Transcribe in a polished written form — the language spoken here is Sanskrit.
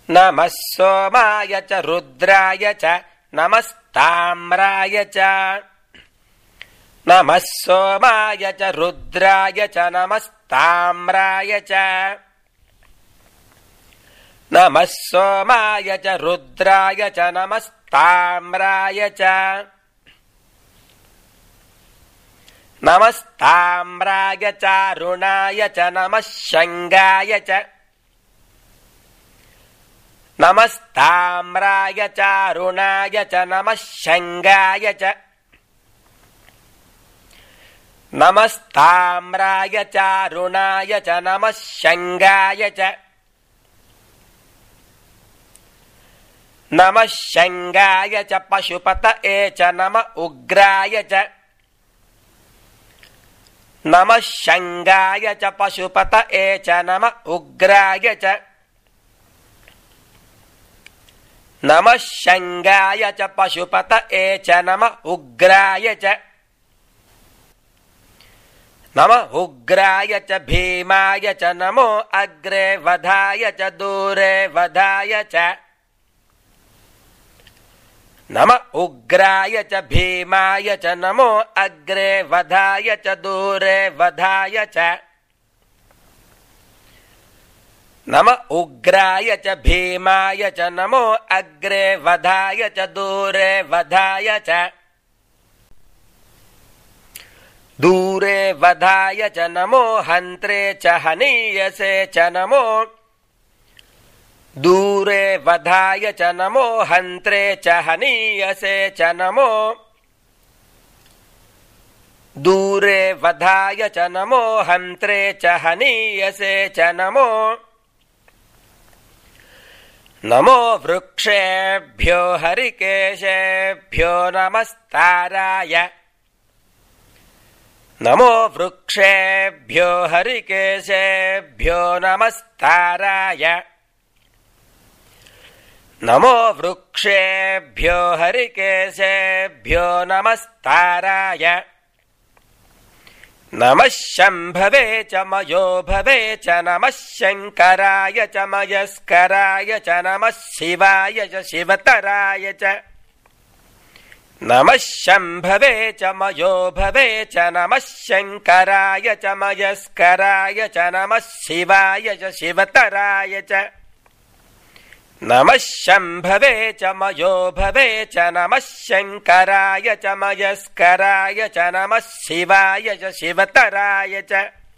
नमः सोमाय च रुद्राय च नमस्ताम्राय च नमः सोमाय च रुद्राय च नमस्ताम्राय च नमः सोमाय च रुद्राय च नमस्ताम्राय च नमस्ताम्राय चारुणाय च नमः शङ्गाय च नमस्ताम्राय चारुणाय च नमः शङ्गाय च नमस्ताम्राय चारुणाय च नमः शङ्गाय च नमः शङ्गाय च पशुपतये च नमः उग्राय च नमः शङ्गाय च पशुपतये च नमः उग्राय च नमः शङ्गाय च पशुपतये च नमः उग्राय च नमः उग्राय च भीमाय च नमो अग्रे वधाय च दूरे वधाय च नमः उग्राय च भीमाय च नमो अग्रे वधाय च दूरे वधाय च नमः उग्राय च भीमाय च नमो अग्रे वधाय च दूरे वधाय च दूरे वधाय च नमो हन्त्रे च हनीयसे च नमो दूरे वधाय च नमो हन्त्रे च हनीयसे च नमो दूरे वधाय च नमो हन्त्रे च हनीयसे च नमो नमो वृक्षेभ्यो हरिकेशेभ्यो नमस्ताराय नमो वृक्षेभ्यो हरिकेशेभ्यो नमस्ताराय नमो वृक्षेभ्यो हरिकेशेभ्यो नमस्ताराय नमः शम्भवे च मयो भवे च नमः शङ्कराय च मयस्कराय च नमः शिवाय च शिवतराय च नमः शम्भवे च मयो भवे च नमः शङ्कराय च मयस्कराय च नमः शिवाय च शिवतराय च नमः शम्भवे च मयो भवे च नमः शङ्कराय च मयस्कराय च नमः शिवाय च शिवतराय च